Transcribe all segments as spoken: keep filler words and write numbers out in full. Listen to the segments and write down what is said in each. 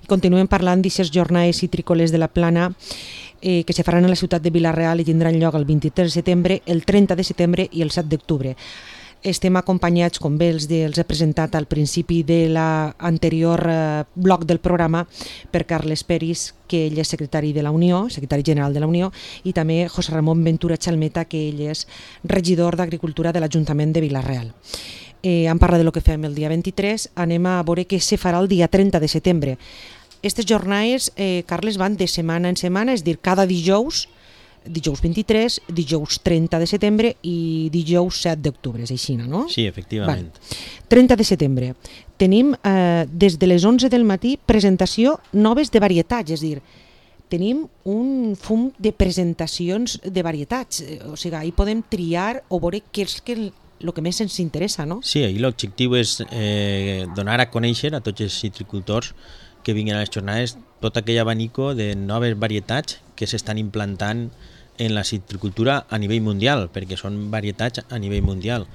continuem parlant d'aquestes jornades citrícoles de la Plana eh, que se faran a la ciutat de Vila-real i tindran lloc el vint-i-tres de setembre, el trenta de setembre i el set d'octubre. Estem acompanyats, com bé els, de, els he presentat al principi de l'anterior eh, bloc del programa, per Carles Peris, que ell és secretari de la Unió, secretari general de la Unió, i també José Ramon Ventura Chalmeta, que ell és regidor d'Agricultura de l'Ajuntament de Vila-real. Eh, hem parlat de lo que fem el dia vint-i-tres, anem a veure què se farà el dia trenta de setembre. Aquestes jornades, eh, Carles, van de setmana en setmana, és a dir, cada dijous, dijous vint-i-tres, dijous trenta de setembre i dijous set d'octubre, és així, no? Sí, efectivament. Vale. trenta de setembre. Tenim eh, des de les onze del matí presentació noves de varietats, és a dir, tenim un fum de presentacions de varietats, o sigui, ahí podem triar o veure què és que el que més ens interessa, no? Sí, ahí l'objectiu és eh, donar a conèixer a tots els citricultors que vinguin a les jornades tot aquell abanico de noves varietats que s'estan implantant en la citricultura a nivell mundial, perquè són varietats a nivell mundial.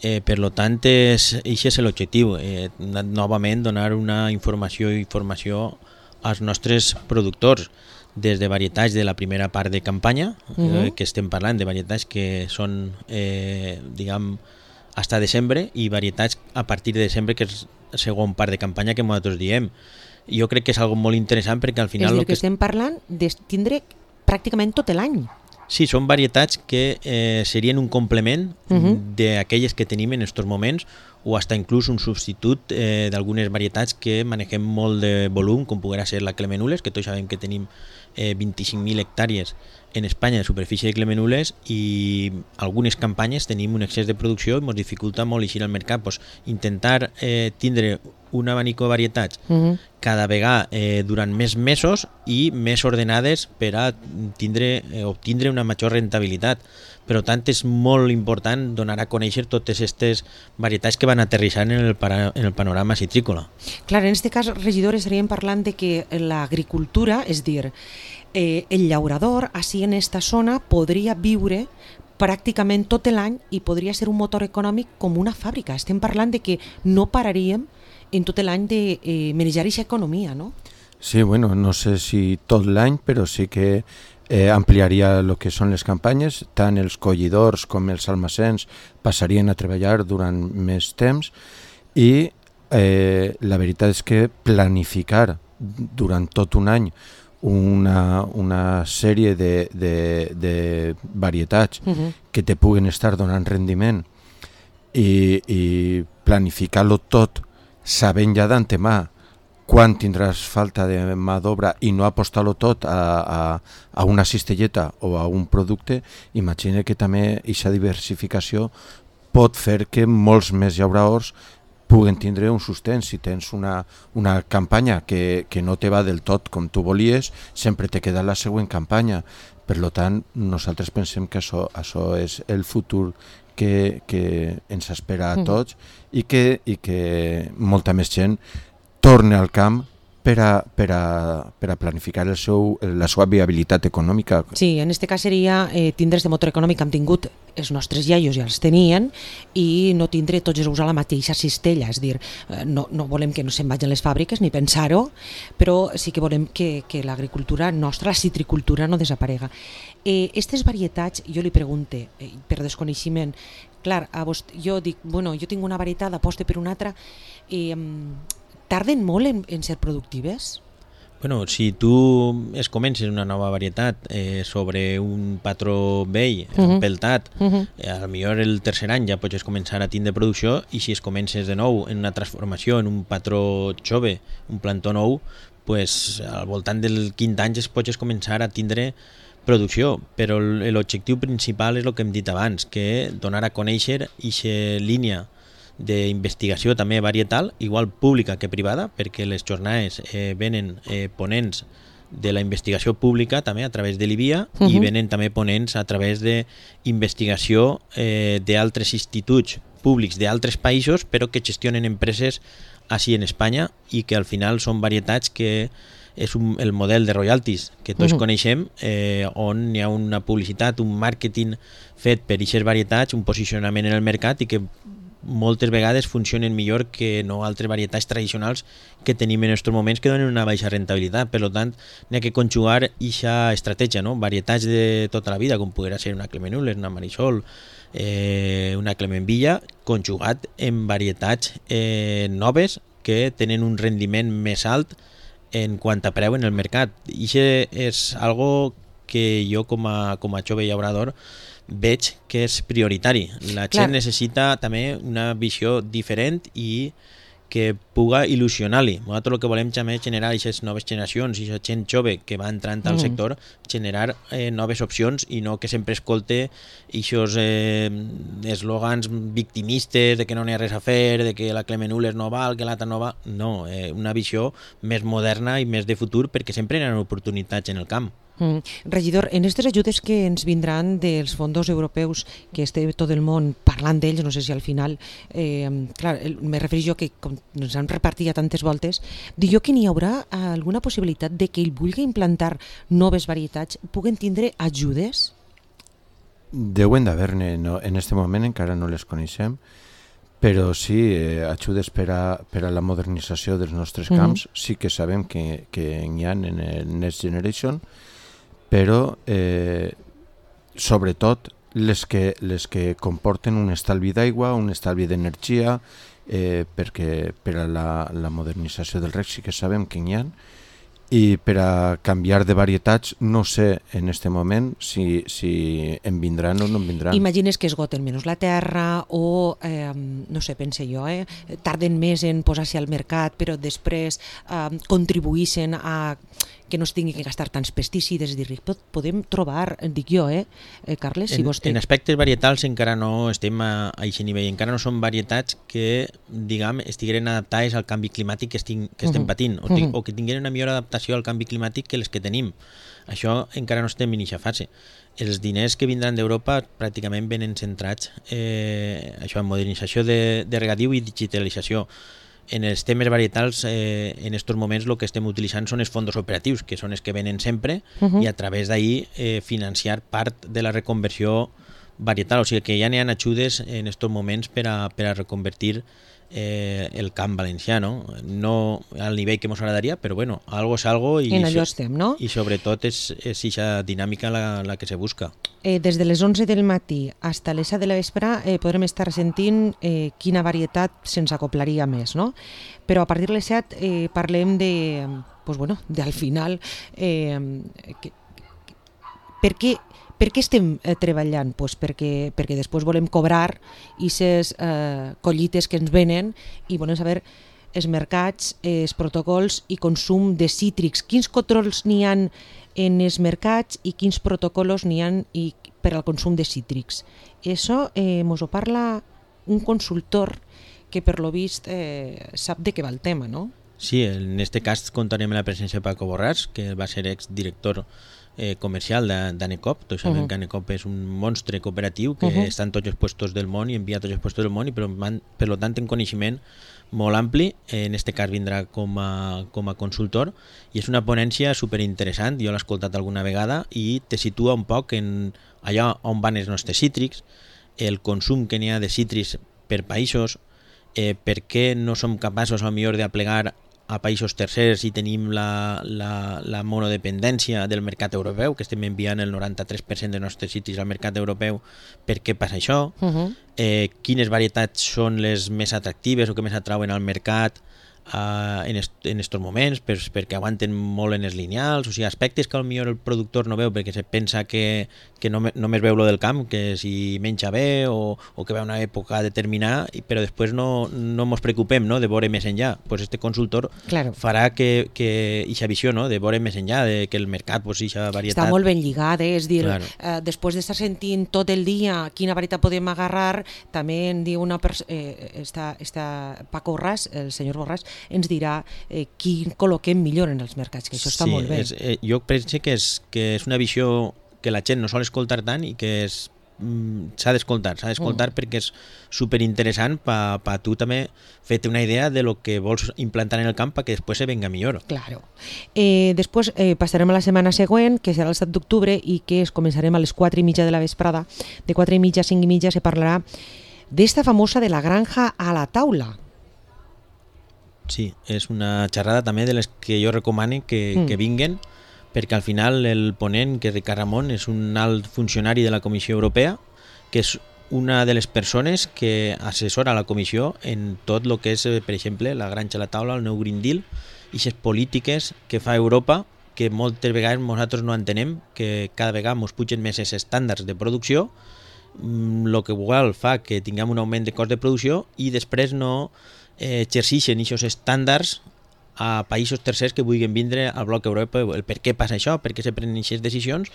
Eh, per lo tant, és, això és l'objectiu, eh, novament donar una informació i informació als nostres productors, des de varietats de la primera part de campanya, uh-huh. eh, que estem parlant de varietats que són, eh, diguem, hasta desembre, i varietats a partir de desembre, que és la segona part de campanya que nosaltres diem. Jo crec que és algo molt interessant perquè al final... És a dir, que, que estem parlant de tindre pràcticament tot l'any. Sí, són varietats que eh, serien un complement uh-huh. d'aquelles que tenim en aquests moments, o hasta inclús un substitut eh, d'algunes varietats que manegem molt de volum, com poguera ser la Clemenules, que tots sabem que tenim eh, vint-i-cinc mil hectàrees en Espanya de superfície de Clemenules, i algunes campanyes tenim un excés de producció i ens dificulta molt eixir al mercat. Pues, intentar eh, tindre un abanico de varietats uh-huh. cada vegada eh, durant més mesos i més ordenades per a tindre, eh, obtindre una major rentabilitat. Per tant, és molt important donar a conèixer totes aquestes varietats que van aterrissant en el, para, en el panorama citrícola. Clar, en aquest cas, regidor, estaríem parlant de que l'agricultura, és dir, eh, el llaurador, així en aquesta zona, podria viure pràcticament tot l'any i podria ser un motor econòmic com una fàbrica. Estem parlant de que no pararíem en tot l'any de eh, manejar aquesta economia, no? Sí, bueno, no sé si tot l'any, però sí que eh, ampliaria el que són les campanyes, tant els collidors com els almacens passarien a treballar durant més temps, i eh, la veritat és que planificar durant tot un any una, una sèrie de, de, de varietats uh-huh. que te puguen estar donant rendiment i, i planificar-lo tot sabent ja d'antemà quan tindràs falta de mà d'obra i no apostar-lo tot a, a, a una cistelleta o a un producte, imagina que també aquesta diversificació pot fer que molts més llauradors puguen tindre un sustent. Si tens una, una campanya que, que no te va del tot com tu volies, sempre te queda la següent campanya. Per tant, nosaltres pensem que això, això és el futur que, que ens espera a tots i que, i que molta més gent torni al camp per a, per a, per a planificar el seu, la seva viabilitat econòmica. Sí, en aquest cas seria eh, tindre este motor econòmic que hem tingut els nostres iaios, ja els tenien, i no tindre tots els ous a la mateixa cistella, és dir, eh, no, no volem que no se'n vagin les fàbriques ni pensar-ho, però sí que volem que, que l'agricultura nostra, la citricultura, no desaparega. Eh, estes varietats, jo li pregunte, eh, per desconeixement, clar, a vos, jo dic, bueno, jo tinc una varietat, aposte per una altra, eh, tarden molt en, en ser productives? Bueno, si tu es comences una nova varietat eh, sobre un patró vell, uh-huh. peltat, uh-huh. eh, a lo millor el tercer any ja pots començar a tindre producció, i si es comences de nou en una transformació, en un patró jove, un plantó nou, pues, al voltant del quint any es pots començar a tindre producció, però l'objectiu principal és el que hem dit abans, que donar a conèixer aquesta línia d'investigació també varietal, igual pública que privada, perquè les jornades eh, venen eh, ponents de la investigació pública també a través de l'I B I A uh-huh. i venen també ponents a través d'investigació eh, d'altres instituts públics d'altres països, però que gestionen empreses així en Espanya, i que al final són varietats que és un, el model de royalties que tots uh-huh. coneixem, eh, on hi ha una publicitat, un màrqueting fet per aquestes varietats, un posicionament en el mercat, i que moltes vegades funcionen millor que no altres varietats tradicionals que tenim en aquests moments que donen una baixa rentabilitat. Per tant, n'hi ha que conjugar aquesta estratègia, no? Varietats de tota la vida, com podrà ser una Clemenules, una Marisol, eh, una Clemenvilla, conjugat en varietats eh, noves que tenen un rendiment més alt en quant a preu en el mercat. I això és algo que jo com a, com a jove llaurador veig que és prioritari. La gent Clar. necessita també una visió diferent i que puga il·lusionar-li. Nosaltres el que volem també és generar aquestes noves generacions i aquesta gent jove que va entrant al Mm. sector, generar eh, noves opcions i no que sempre escolte aquests eh, eslògans victimistes de que no n'hi ha res a fer, de que la Clemenules no val, que l'altra no va. No, eh, una visió més moderna i més de futur, perquè sempre hi ha oportunitats en el camp. Mm. Regidor, en aquestes ajudes que ens vindran dels fondos europeus, que esté tot el món parlant d'ells, no sé si al final, eh, clar, el, me refereixo jo que com ens han repartit ja tantes voltes, dic jo que n'hi haurà alguna possibilitat de que ell vulgui implantar noves varietats, puguen tindre ajudes? Deuen d'haver-ne, no, en aquest moment encara no les coneixem, però sí, eh, ajudes per a, per a la modernització dels nostres camps, mm-hmm. sí que sabem que, que n'hi ha en el Next Generation, però eh, sobretot les que, les que comporten un estalvi d'aigua, un estalvi d'energia, eh, perquè per a la, la modernització del reg sí que sabem que n'hi ha, i per a canviar de varietats no sé en aquest moment si, si en vindran o no en vindran. Imagines que esgoten menys la terra o, eh, no sé, pense jo, eh, tarden més en posar-se al mercat, però després eh, contribuïssin a que no es tingui que gastar tants pesticides, és dir, podem trobar, dic jo, eh, Carles, si en, vostè... En aspectes varietals encara no estem a, a aquest nivell, encara no són varietats que, diguem, estigueren adaptades al canvi climàtic que, estic, que estem patint, o, uh-huh. o que tingueren una millor adaptació al canvi climàtic que les que tenim. Això encara no estem en aquesta fase. Els diners que vindran d'Europa pràcticament venen centrats eh, això, en modernització de, de regadiu i digitalització. En els temes varietals, eh, en aquests moments el que estem utilitzant són els fons operatius, que són els que venen sempre, uh-huh. i a través d'ahir eh, financiar part de la reconversió varietal. O sigui que ja n'hi ha ajudes en aquests moments per a, per a reconvertir eh, el camp valencià, no? No al nivell que ens agradaria, però bueno, algo és algo i, en allò estem, no? I sobretot és aquesta dinàmica la, la que se busca. Eh, des de les onze del matí fins a les set de la vespre eh, podrem estar sentint eh, quina varietat se'ns acoplaria més, no? Però a partir de les set eh, parlem de, pues bueno, de al final eh, que, que, per què Per què estem eh, treballant? Pues perquè, perquè després volem cobrar aquestes eh, collites que ens venen i volem saber els mercats, els protocols i consum de cítrics. Quins controls n'hi ha en els mercats i quins protocols n'hi ha i per al consum de cítrics? Això eh, mos ho parla un consultor que per lo vist eh, sap de què va el tema, no? Sí, en este cas contarem la presència de Paco Borràs, que va ser exdirector Eh, comercial d'Anecop. Tots sabem uh-huh. que Anecop és un monstre cooperatiu que uh-huh. està en tots els puestos del món i envia a tots els puestos del món i per, per lo tant en coneixement molt ampli. En este cas vindrà com a, com a consultor i és una ponència superinteressant. Jo l'he escoltat alguna vegada i te situa un poc en allà on van els nostres cítrics, el consum que n'hi ha de cítrics per països, eh, per què no som capaços a millor d'aplegar a països tercers i tenim la, la, la monodependència del mercat europeu, que estem enviant el noranta-tres per cent dels nostres cítrics al mercat europeu. Per què passa això? Uh-huh. Eh, quines varietats són les més atractives o que més atrauen al mercat uh, en aquests moments, per, perquè aguanten molt en els lineals, o sigui, aspectes que potser el productor no veu perquè se pensa que, que no, només veu lo del camp, que si menja bé o, o que va una època determinada, però després no, no ens preocupem, no?, de veure més enllà. Pues este consultor claro. farà que aquesta visió, no?, de veure més enllà, de que el mercat, pues, aquesta varietat... Està molt ben lligat, eh? És dir, claro. eh, després d'estar sentint tot el dia quina varietat podem agarrar, també en diu una persona, eh, està, està Paco Borràs, el senyor Borràs, ens dirà eh, qui col·loquem millor en els mercats, que això està sí, molt bé. És, eh, jo penso que és, que és una visió que la gent no sol escoltar tant i que és mm, s'ha d'escoltar, s'ha d'escoltar mm. perquè és superinteressant per pa tu també fer-te una idea de lo que vols implantar en el camp perquè després se venga millor. Claro. Eh, després eh, passarem a la setmana següent, que serà el set d'octubre i que es començarem a les quatre i mitja de la vesprada. De quatre i mitja a cinc i mitja se parlarà d'esta famosa de la granja a la taula. Sí, és una xerrada també de les que jo recomano que, mm. que vinguen, perquè al final el ponent, que és Ricard Ramon, és un alt funcionari de la Comissió Europea, que és una de les persones que assessora la Comissió en tot el que és, per exemple, la granja a la taula, el nou Green Deal, i les polítiques que fa Europa, que moltes vegades nosaltres no entenem, que cada vegada ens pugen més els estàndards de producció, el que igual fa que tinguem un augment de cost de producció i després no eh, exerceixen aquests estàndards a països tercers que vulguin vindre al bloc Europa, el per què passa això, per què se prenen aquestes decisions,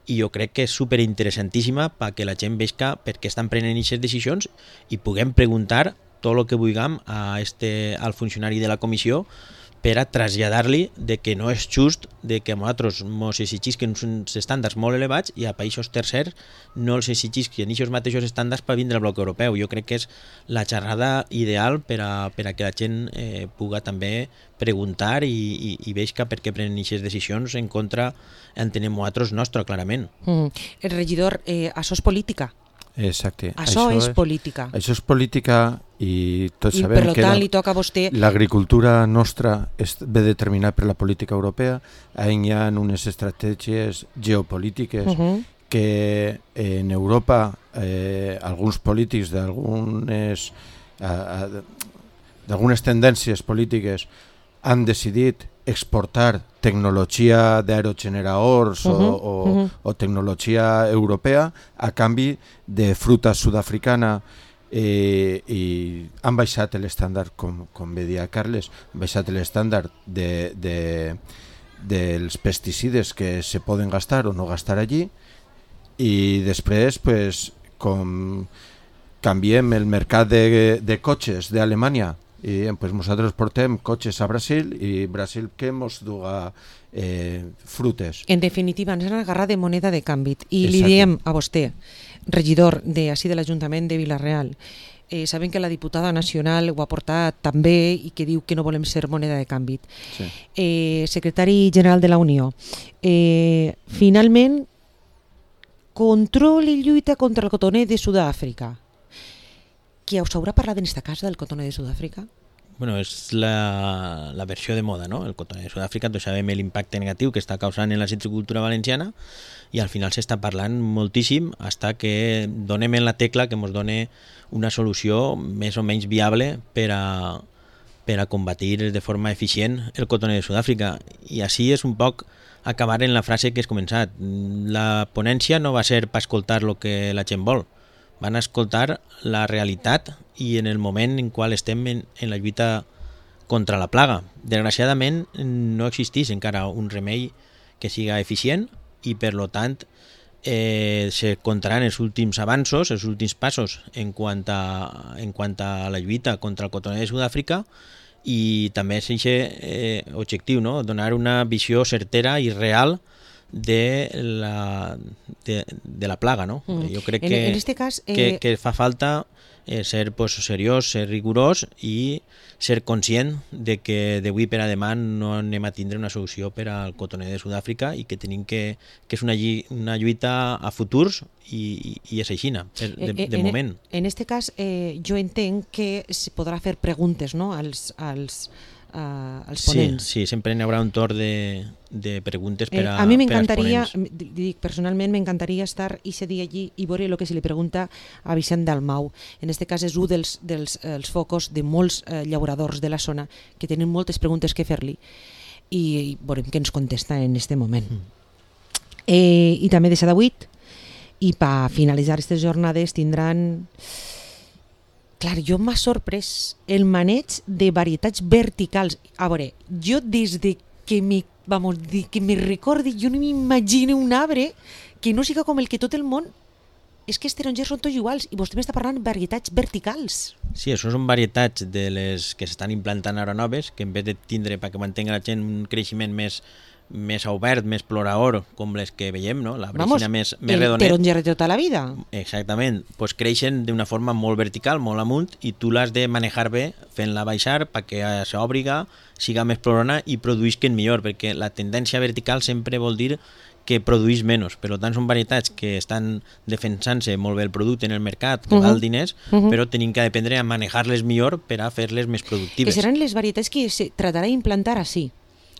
i jo crec que és superinteressantíssima perquè la gent veja per què estan prenent aquestes decisions i puguem preguntar tot el que vulguem a este, al funcionari de la comissió per a traslladar-li de que no és just de que a nosaltres ens exigisquen uns estàndards molt elevats i a països tercers no els exigisquen aquests mateixos estàndards per vindre al bloc europeu. Jo crec que és la xerrada ideal per a, per a que la gent eh, puga també preguntar i, i, i veig per què prenen aquestes decisions en contra, entenem nosaltres, nostre, clarament. Mm. El regidor, eh, això és política. Exacte. Això, això és, és política. Això és política i tots I sabem per que tant, li toca a vostè... l'agricultura nostra és ve determinada per la política europea. Hi ha unes estratègies geopolítiques uh -huh. que en Europa eh, alguns polítics d'algunes eh, d'algunes tendències polítiques han decidit exportar tecnologia d'aerogeneradors uh -huh, o, o, uh -huh. o tecnologia europea a canvi de fruta sud-africana eh, i han baixat l'estàndard, com, com bé dia Carles, han baixat l'estàndard de, de, dels pesticides que se poden gastar o no gastar allí i després pues, com canviem el mercat de, de cotxes d'Alemanya i pues nosaltres portem cotxes a Brasil i Brasil que mos duga eh, frutes. En definitiva, ens han agarrat de moneda de canvi i li diem a vostè, regidor de, així de l'Ajuntament de Vila-real, eh, saben que la diputada nacional ho ha portat també i que diu que no volem ser moneda de canvi. Sí. Eh, secretari general de la Unió, eh, finalment, control i lluita contra el cotoner de Sud-àfrica. Qui us haurà parlat en esta casa del cotoner de Sud-àfrica? Bueno, és la, la versió de moda, no? El cotoner de Sud-àfrica, tots sabem l'impacte negatiu que està causant en la citricultura valenciana i al final s'està parlant moltíssim fins que donem en la tecla que ens doni una solució més o menys viable per a, per a combatir de forma eficient el cotoner de Sud-àfrica. I així és un poc acabar en la frase que has començat. La ponència no va ser per escoltar el que la gent vol, van escoltar la realitat i en el moment en qual estem en, en la lluita contra la plaga. Desgraciadament no existeix encara un remei que siga eficient i per lo tant eh, se comptaran els últims avanços, els últims passos en quant a, en quant a la lluita contra el cotoner de Sud-àfrica i també és aquest eh, objectiu, no? Donar una visió certera i real de la, de, de la plaga, no? Mm. Jo crec que, en, en este cas, eh... que, que fa falta eh, ser pues, seriós, ser rigorós i ser conscient de que d'avui per a demà no anem a tindre una solució per al cotoner de Sud-àfrica i que tenim que, que és una, una lluita a futurs i, i és així, de, de, de en, moment. En este cas, eh, jo entenc que se podrà fer preguntes, no?, als, als, uh, als ponents. Sí, sí, sempre hi haurà un torn de, de preguntes per, a, eh, a mi per m'encantaria, als ponents. dic, personalment m'encantaria estar i ser dia allí i veure el que se li pregunta a Vicent Dalmau. En este cas és un dels, dels els focus de molts eh, llauradors de la zona que tenen moltes preguntes que fer-li i, i veurem què ens contesta en este moment. Mm. Eh, I també de set a vuit i per finalitzar aquestes jornades tindran... Clar, jo m'ha sorprès el maneig de varietats verticals. A veure, jo des de que me, vamos, de que me recordi, jo no m'imagino un arbre que no siga com el que tot el món... És que els tarongers són tots iguals i vostè m'està parlant de varietats verticals. Sí, això són varietats de les que s'estan implantant ara noves, que en vez de tindre perquè mantenga la gent un creixement més més obert, més plorador, com les que veiem, no? La brecina més, més redonet. El taronger de tota la vida. Exactament. Pues creixen d'una forma molt vertical, molt amunt, i tu l'has de manejar bé, fent-la baixar perquè s'obriga, siga més plorona i produïsquen millor, perquè la tendència vertical sempre vol dir que produís menys. Per tant, són varietats que estan defensant-se molt bé el producte en el mercat, que Uh-huh. val diners, Uh-huh. però tenim que aprendre a manejar-les millor per a fer-les més Que productives. seran les varietats que se tratarà d'implantar així.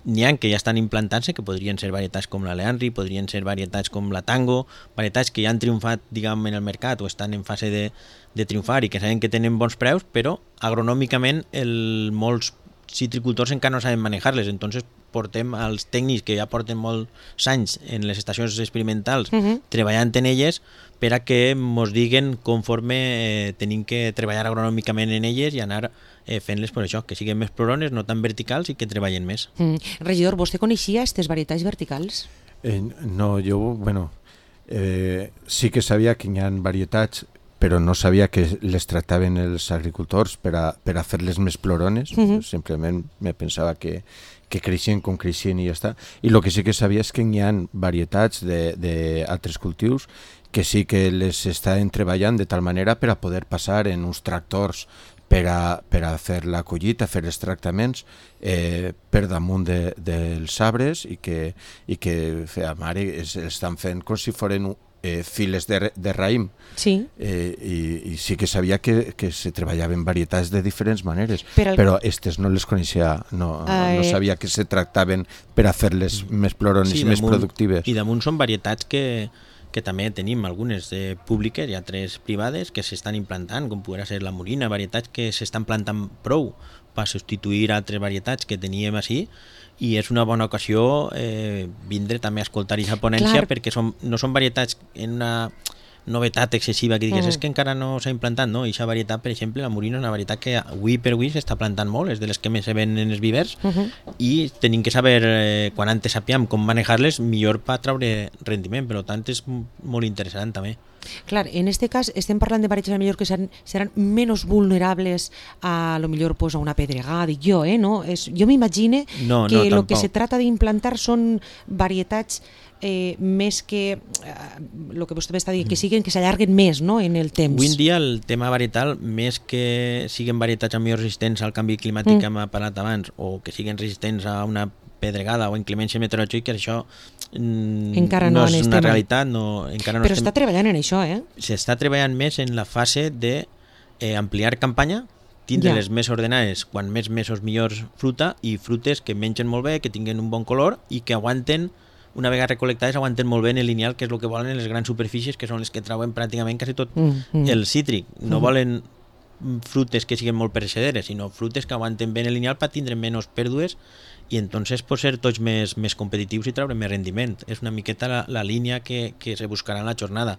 N'hi ha que ja estan implantant-se, que podrien ser varietats com la Leandri, podrien ser varietats com la Tango, varietats que ja han triomfat, diguem, en el mercat o estan en fase de, de triomfar i que saben que tenen bons preus, però agronòmicament el, molts citricultors encara no saben manejar-les, entonces portem als tècnics que ja porten molts anys en les estacions experimentals Uh-huh. treballant en elles per a que mos diguen conforme eh, tenim que treballar agronòmicament en elles i anar eh, fent-les per això, que siguin més plorones, no tan verticals i que treballen més. Mm. Regidor, vostè coneixia aquestes varietats verticals? Eh, no, jo, bueno, eh, sí que sabia que hi ha varietats, però no sabia que les tractaven els agricultors per a, per a fer-les més plorones. Mhm. Simplement me pensava que, que creixien com creixien i ja està. I el que sí que sabia és que hi ha varietats d'altres cultius que sí que les estan treballant de tal manera per a poder passar en uns tractors per a, per a fer la collita, fer els tractaments eh, per damunt de, dels arbres i que, i que a mare es, estan fent com si foren eh, files de, de raïm. Sí. Eh, i, i sí que sabia que, que se treballaven varietats de diferents maneres, Per al- però aquestes no les coneixia, no, Ah, no eh. sabia que se tractaven per a fer-les més plorones i més damunt- productives. I damunt són varietats que, que també tenim algunes eh, públiques i altres privades que s'estan implantant, com podrà ser la morina, varietats que s'estan plantant prou per substituir altres varietats que teníem així, i és una bona ocasió eh, vindre també a escoltar aquesta ponència. Clar. Perquè són, no són varietats en una novetat excessiva que digues, Mm. és que encara no s'ha implantat, no? I aquesta varietat, per exemple, la morina és una varietat que avui per avui s'està plantant molt, és de les que més se ven en els vivers, Uh-huh. i tenim que saber, eh, quan antes sapíem com manejar-les, millor per treure rendiment. Per tant, és m- molt interessant també. Clar, en este cas estem parlant de varietats a lo millor que seran, seran menys vulnerables a lo millor pues, a una pedregada, dic jo, eh? No? És, jo m'imagine No, que no, lo que tampoc. se trata d'implantar són varietats eh, més que el eh, que vostè m'està dient, que siguen, que s'allarguen més, no?, en el temps. Avui en dia el tema varietal, més que siguin varietats millor resistents al canvi climàtic Mm. que hem parlat abans, o que siguin resistents a una pedregada o inclemències meteorològiques, això mm, Encara no no és en una estem. realitat, no, encara no Però estem... està treballant en això, eh? S'està treballant més en la fase de eh, ampliar campanya, tindre Ja. les més ordenades, quan més mesos millors fruta, i frutes que mengen molt bé, que tinguen un bon color i que aguanten, una vegada recolectades, aguanten molt bé en el lineal, que és el que volen en les grans superfícies, que són les que trauen pràcticament quasi tot Mm, mm. el cítric. No volen frutes que siguin molt perecederes, sinó frutes que aguanten bé en el lineal per tindre menys pèrdues i entonces pot ser tots més, més competitius i treure més rendiment. És una miqueta la, la línia que, que se buscarà en la jornada.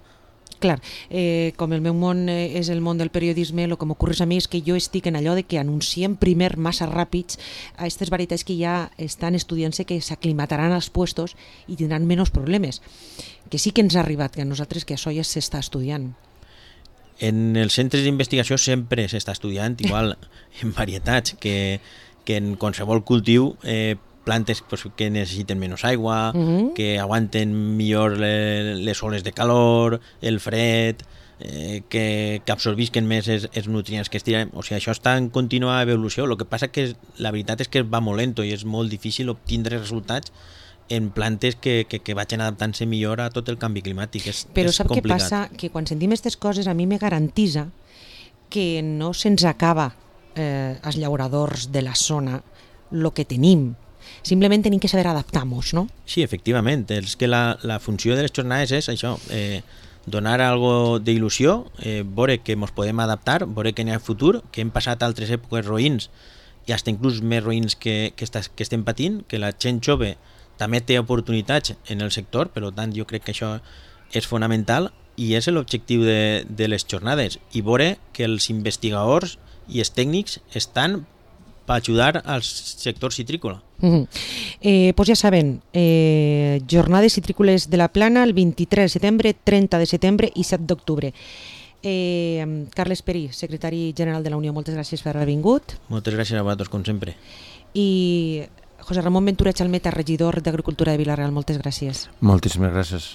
Clar, eh, com el meu món eh, és el món del periodisme, el que m'ocorre a mi és que jo estic en allò de que anunciem primer massa ràpids a aquestes varietats que ja estan estudiant-se, que s'aclimataran als puestos i tindran menys problemes. Que sí que ens ha arribat, que a nosaltres que això ja s'està estudiant. En els centres d'investigació sempre s'està estudiant, igual en varietats, que, que en qualsevol cultiu eh, plantes pues, que necessiten menys aigua, Mhm. que aguanten millor le, les oles de calor, el fred, eh, que, que absorbisquen més els, els nutrients que es tiren. O sigui, això està en contínua evolució. El que passa que la veritat és que va molt lento i és molt difícil obtindre resultats en plantes que, que, que vagin adaptant-se millor a tot el canvi climàtic. És, Però és sap què complicat. passa? Que quan sentim aquestes coses a mi me garantisa que no se'ns acaba eh, als llauradors de la zona el que tenim. Simplement tenim que saber adaptar-nos, no? Sí, efectivament. És que la, la funció de les jornades és això, eh, donar algo d'il·lusió, eh, veure que ens podem adaptar, veure que n'hi ha futur, que hem passat altres èpoques roïns i fins inclús més roïns que, que, estàs, que estem patint, que la gent jove també té oportunitats en el sector, per tant jo crec que això és fonamental i és l'objectiu de, de les jornades, i veure que els investigadors i els tècnics estan per ajudar al sector citrícola. Uh-huh. Eh, pues ja saben, eh, jornades citrícoles de la Plana el vint-i-tres de setembre, trenta de setembre i set d'octubre. Eh, Carles Perí, secretari general de la Unió, moltes gràcies per haver vingut. Moltes gràcies a vosaltres, com sempre. I José Ramón Ventura Chalmeta, regidor d'Agricultura de Vila-real, moltes gràcies. Moltíssimes gràcies.